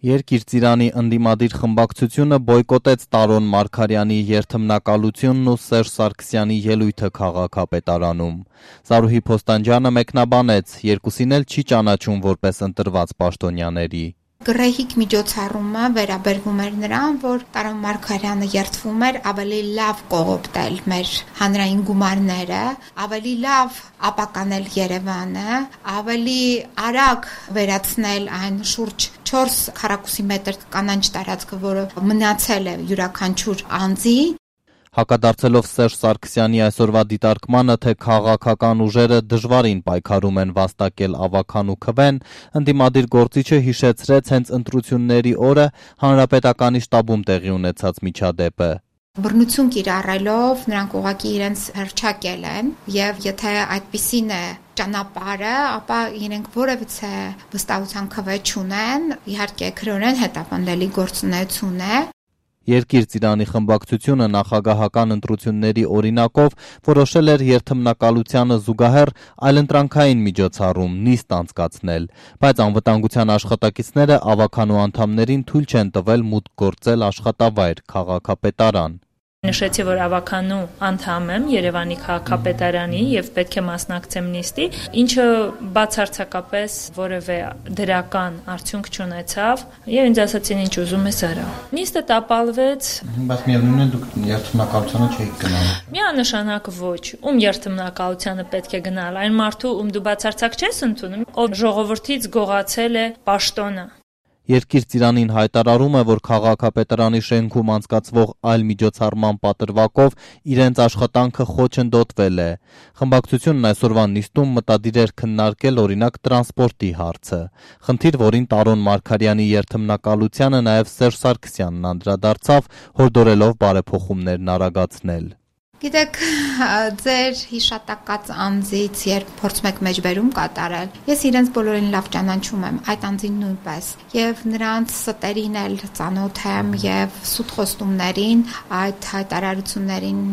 Երկիր Ծիրանի ընդդիմադիր խմբակցությունը բոյկոտեց Տարոն Մարգարյանի երթմնակալությունն ու Սերժ Սարգսյանի ելույթը քաղաքապետարանում։ Զարուհի Փոստանջյանը մեկնաբանեց, երկուսին էլ չի ճանաչում որպես ընտրված պաշտոնյաների։ Գռեհիկ միջոցառումը վերաբերվում էր նրան, որ Տարոն Մարգարյանը երթվում էր ավելի լավ կողոպտել մեր հանրային գումարները, ավելի լավ ապականել Երևանը, ավելի արագ վերացնել այն շուրջ 4 քառակուսի մետր կանաչ տարածքը, որը մնացել է յուրաքանչյուր անձի։ Հակադարձելով Սերժ Սարգսյանի այսօրվա դիտարկմանը, թե քաղաքական ուժերը դժվարին պայքարում են վաստակել ավագան ու քվեն, ընդդիմադիր գործիչը հիշեցրեց հենց ընտրությունների օրը Հանրապետականի շտաբում տեղի ունեցած միջադեպը։ Բռնություն կիրառելով նրանք ուղղակի իրենց հռչակել են, եւ եթե այդպիսին է ճանապարհը, ապա իրենք որևիցե վստահության քվե չունեն, իհարկե քրորեն հետապնդելի գործունեություն է։ Երկիր Ծիրանի խմբակցությունը նախագահական ընտրությունների օրինակով որոշել էր երթմնակալությանը զուգահեռ այլընտրանքային միջոցառում նիստ անցկացնել, բայց անվտանգության աշխատակիցները ավագանու անդամներին թույլ չեն տվել մուտք գործել աշխատավայր քաղաքապետարան։ Նշեցի, որ ավագանու անդամ եմ Երևանի քաղաքապետարանի եւ պետք է մասնակցեմ նիստի, ինչը բացարձակապես որևէ դրական արդյունք չունեցավ եւ ինձ ասացին ինչ ուզում ես արա։ Նիստը տապալվեց։ Բայց միևնույն է դուք երթմնակալությանը չէիք գնալ։ Միանշանակ ոչ։ Ում երթմնակալությանը պետք է գնալ։ Այն մարդու, ում դու բացարձակ չես ընդունում, ով ժողովրդից գողացել է պաշտոնը։ Երկիր Ծիրանին հայտարարում է, որ քաղաքապետարանի շենքում անցկացվող այլ միջոցառման պատրվակով իրենց աշխատանքը խոչընդոտվել է։ Խմբակցությունն այսօրվա նիստում մտադիր էր քննարկել օրինակ տրանսպորտի հարցը, խնդիր, որին Տարոն Մարգարյանի երթմնակալությանը նաև Սերժ Սարգսյանն անդրադարձավ, հորդորելով բարեփոխումներն արագացնել։ Գիտեք, ձեր հիշատակած անձից երբ փորձում եք մեջբերում կատարել, ես իրենց բոլորին լավ ճանաչում եմ, այդ անձին նույնպես, եւ նրանց ստերին էլ ծանոթ եմ եւ սուտ խոստումներին, այդ հայտարարություններին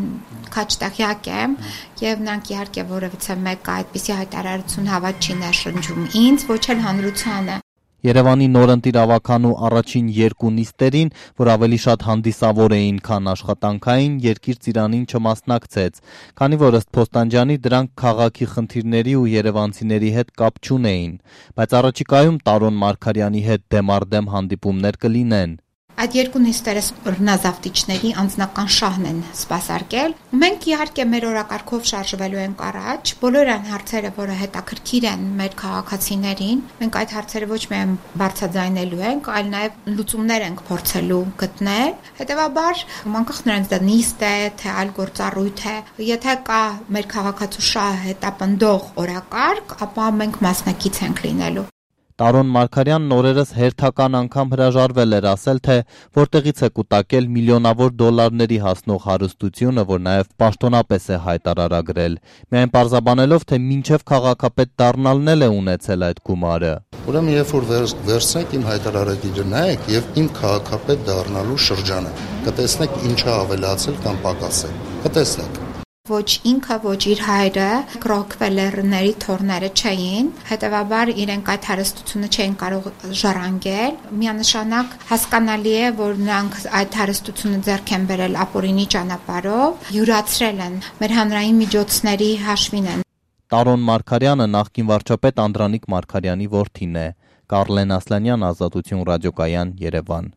քաչտեղյակ եմ եւ նրանք իհարկե որևիցե մեկը այդպիսի հայտարարություն հավատ չի ներշնչում ինձ, ոչ էլ հանրությանը։ Երևանի նորընտիր ավագանու առաջին երկու նիստերին, որ ավելի շատ հանդիսավոր էին, քան աշխատանքային, Երկիր Ծիրանին չմասնակցեց, քանի որ ըստ Փոստանջյանի դրանք քաղաքի խնդիրների ու երևանցիների հետ կապ չունեին, բայց առաջիկայում Տարոն Մարգարյանի հետ դեմառդեմ հանդիպումներ կլինեն։ Այդ երկու նիստերը բռնազավթիչների անձնական շահն են սպասարկել։ Մենք իհարկե մեր օրակարգով շարժվելու ենք առաջ, բոլոր այն հարցերը, որը հետաքրքիր են մեր քաղաքացիներին, մենք այդ հարցերը ոչ միայն բարձրաձայնելու ենք, այլ նաև լուծումներ ենք փորձելու գտնել։ Հետևաբար, անկախ նրանից դա նիստ է, թե այլ գործառույթ է, եթե կա մեր քաղաքացու շահը հետապնդող օրակարգ, ապա մենք մասնակից ենք լինելու։ Տարոն Մարգարյանն օրերս հերթական անգամ հրաժարվել էր ասել, թե որտեղից է կուտակել միլիոնավոր դոլարների հասնող հարստությունը, որ նաև պաշտոնապես է հայտարարագրել, միայն պարզաբանելով, թե մինչև քաղաքապետ դառնալն էլ է ունեցել այդ գումարը։ Ուրեմն երբ որ վերցնեք իմ հայտարարագիրը նայեք եւ իմ քաղաքապետ դառնալու շրջանը, կտեսնեք ինչա ավելացել կամ պակասել։ Կտեսնեք։ Ոչ ինքը, ոչ իր հայրը Ռոքվելերների թորները չէին, հետևաբար իրենք այդ հարստությունը չէին կարող ժառանգել։ Միանշանակ հասկանալի է, որ նրանք այդ հարստությունը ձեռք են բերել ապօրինի ճանապարհով, յուրացրել են մեր հանրային միջոցների հաշվին են։ Տարոն Մարգարյանը նախկին վարչապետ Անդրանիկ Մարգարյանի որդին է։ Կարլեն Ասլանյան, Ազատություն ռադիոկայան, Երևան։